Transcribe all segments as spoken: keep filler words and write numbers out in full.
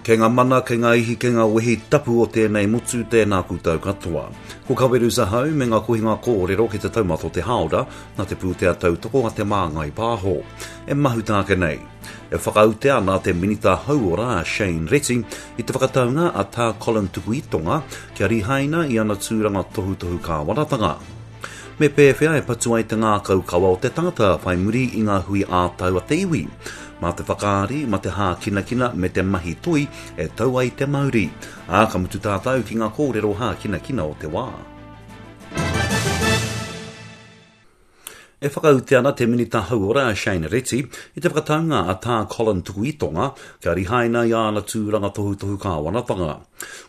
Kei ngā mana, kei ngā ihi, kei ngā wehi tapu o tēnei motu, tēnā koutou katoa. Ko Kaweru Zahau me ngā kohinga kōrero ki te taumata o te hāora, nā te pūtea tautoko a Te Māngai Pāho. E mahuta ake nei. E whakaute ana te Minita Hauora a Shane Reti i te whakataunga a Tā Colin Tukuitonga kia rihaina i ana tūranga tohutohu kāwanatanga. Me pēwhea e patu ai te ngākau kawa o te tangata whai muri i ngā hui ā-tau a te iwi? Mā te whakaari, mā te hākinakina me te mahi toi e tau ai te mauri. Ā, ka mutu tātou ki ngā kōrero hākinakina o te wā. E whakaute ana te Minita Hauora a Shane Reti i te whakataunga a Tā Colin Tukuitonga kia rihaina i āna tūranga tohutohu kāwanatanga.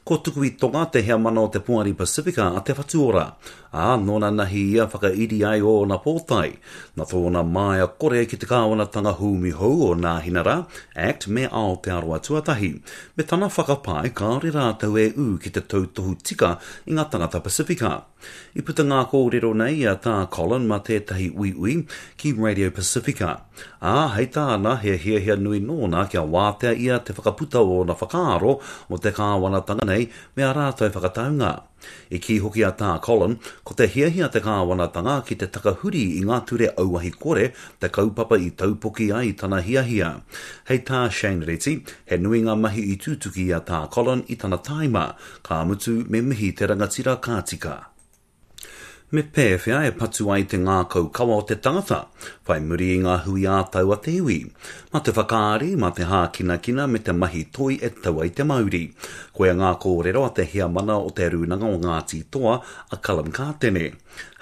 Ko Tukuitonga te heamana o te Poari Pasifika a Te Whatu Ora, ā, nōna nahi ia whakairi ai ōna pōtae, nā tōna māia kore ki te kāwanatanga hūmi hou o Nāhinara, Act me Aotearoa Tuatahi, me tana whakapae kāore rātou e ū ki te tautohu tika i ngā tangata Pasifika. I puta ngā kōrero nei i a Tā Colin mā tētahi uiui ki Radio Pacifica. Ā, hei tāna, he hiahia nui nōna kia wātea ia te whakaputa o ōna whakaaro mō te kāwanatanga nei me ā rātou whakataunga. I kī hoki a Tā Colin, ko te hiahia te kāwanatanga ki te takahuri i ngā ture auahi kore te kaupapa i taupoki ai tana hiahia. Hei tā Shane Reti, he nui ngā mahi i tutuki i a Tā Colin i tana tāima, ka mutu me mihi te rangatira ka tika. Me pēwhea e patu ai te ngākau kawa o te tangata, whai muri i ngā hui ā-tau a te iwi? Mā te whakaari, mā te hākinakina me te mahi toi e tau ai te mauri. Koia ngā kōrero a te heamana o te Rūnanga o Ngāti Toa, a Cullen Kātene.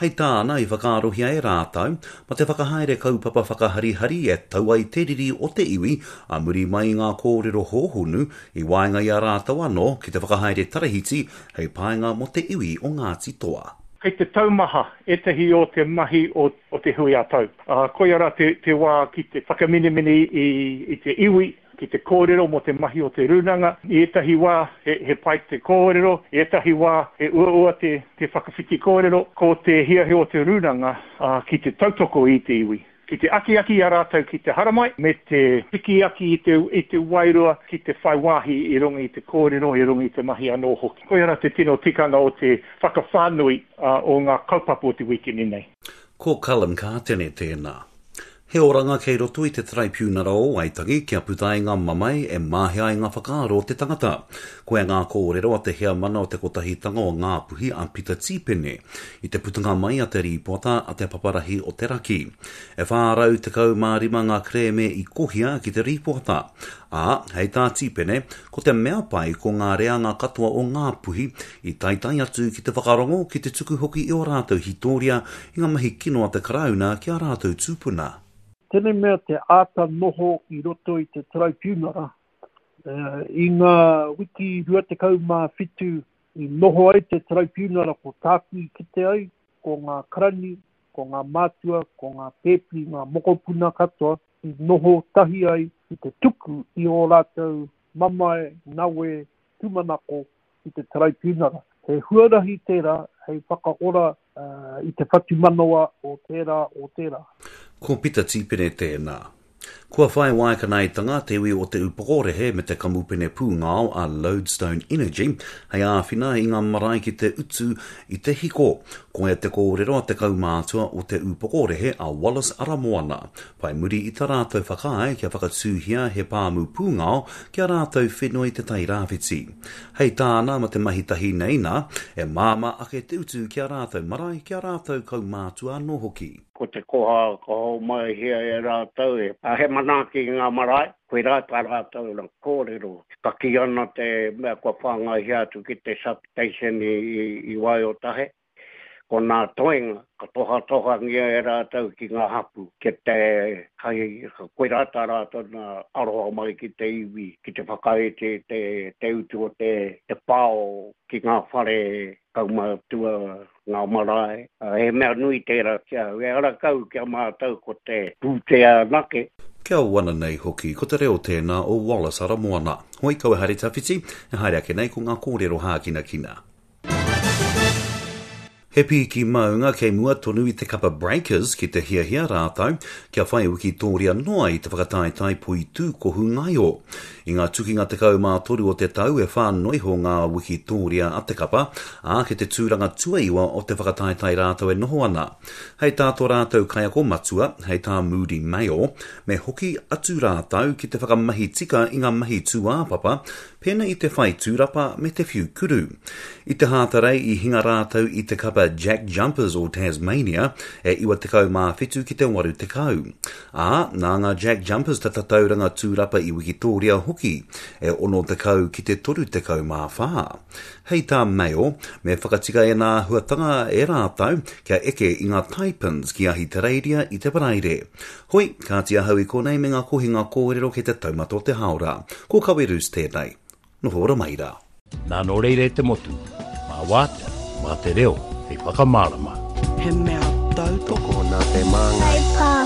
Hei tāna i whakaarohia e rātou, mā te whakahaere kaupapa whakaharihari e tau ai te riri o te iwi ā muri mai i ngā kōrero hōhonu i waenga i a rātou anō ki te whakahaere tarahiti hei painga mō te iwi o Ngāti Toa. Kei te taumaha ētahi o te mahi o, o te hui ā-tau. Uh, koia rā te, te wā ki te whakaminemine i, i te iwi, ki te kōrero mō te mahi o te rūnanga. I ētahi wā he, he pai te kōrero, i ētahi wā he uaua te, te whakawhiti kōrero. Ko te hiahia o te rūnanga uh, ki te tautoko i te iwi. Ki te akiaki i a rātou ki te haramai, me te piki aki i te, i te wairua ki te whai wāhi i runga i te kōrero, i runga i te mahi anō hoki. Koia rā te tino tikanga o te whakawhānui uh, o ngā kaupapa o te wikini nei. Ko Cullen Kātene tēnā. He oranga kei roto i te Taraipiunara o Waitangi kia puta ai ngā mamae e māhea ai ngā whakaaro o te tangata. Koia ngā kōrero a te heamana o te Kotahitanga o Ngāpuhi a Pita Tīpene i te putanga mai a te rīpoata a te Paparahi o te Raki. E whā rau tekau mā rima ngā kerēme i kohia ki te rīpoata. Ā, hei tā Tīpene, ko te mea pai ko ngā reanga katoa o Ngāpuhi i taetae atu ki te whakarongo ki te tuku hoki i ō rātou hītoria i ngā mahi kino a te Karauna ki ā rātou tūpuna. Tēnei mea te āta noho i roto i te taraipiunara, i ngā wiki rua tekau mā whitu i noho ai te taraipiunara ko tāku i kite ai, ko ngā karani, ko ngā mātua, ko ngā pēpi, ngā mokopuna katoa i noho tahi ai ki te tuku i ō rātou mamae, nawe, tūmanako ki te taraipiunara. He huarahi tērā hei whakaora i te whatumanawa o tērā, o tērā. Ko Pita Tīpene tēnā. Kua whai waekanaetanga te iwi o Te Upokorehe me te kamupene pūngao a Lodestone Energy hei āwhina i ngā marae ki te utu i te hiko. Koia te kōrero a te kaumātua o Te Upokorehe a Wallace Aramoana, whai muri i tā rātou whakaae kia whakatūhia he pāmu pūngao ki a rātou whenua i Te Tai Rāwhiti. Hei tāna ma te mahi tahi nei nā, e māmā ake te utu ki a rātou marae, ki a rātou kaumātua anō hoki. Ko te koha ka hōmaihia e rātou e he manaaki i ngā marae, koirā tā rātou na kōrero. Ka kī ana te mea kua whāngaihia atu ki te substation i, i, i Waiotahe, ko nā toenga, ka tohatohangia e rātou ki ngā hapu, ki te hai, koirā tā rātou na aroha mai ki te iwi, ki te whakaete te, te utu o te, te pao ki ngā whare kaumātua, ngā marae. He mea nui tērā ki au. E ara kau ki a mātou ko te pūtea anake. Kia wana nei hoki, ko te reo tēnā o Wallace Aramoana. Hoi kau e haere tawhiti, e haere ake nei ko ngā kōrero hākinakina. He piki maunga kei mua tonu i te kapa Breakers ki te hiahia rātou kia whai wikitōria noa i te whakataetae poitūkohu ngaio. I ngā tukinga tekau mā toru o te tau e whā noa iho ngā wikitōria a te kapa, ā, kei te tūranga tuaiwa o te whakataetae rātou e noho ana. Hei tā tō rātou kaiako matua, hei tā Moody Mayo, me hoki atu rātou ki te whakamahi tika i ngā mahi tūāpapa, pēnā i te whai tūrapa me te whiu kuru. I te Hātarei i hinga rātou i te kapa Jack Jumpers o Tasmania e iwa tekau mā whitu ki te waru tekau. Ā, nā ngā Jack Jumpers te tatauranga tūrapa i Wikitōria hoki, e ono tekau ki te toru tekau mā whā. Hei tā Mayo, me whakatika ēnā āhuatanga e rātou kia eke i ngā Taipans ki Ahitereiria i te Paraire. Hoi, kāti ahau i konei me ngā kohinga kōrero kei te taumata o te hāora. Ko Kawerus tēnei. Noho ora mai rā. Nā nō reira e te motu, mā wātea, mā te reo hei whakamārama. He mea tautoko nā te māngai. Whai pāho.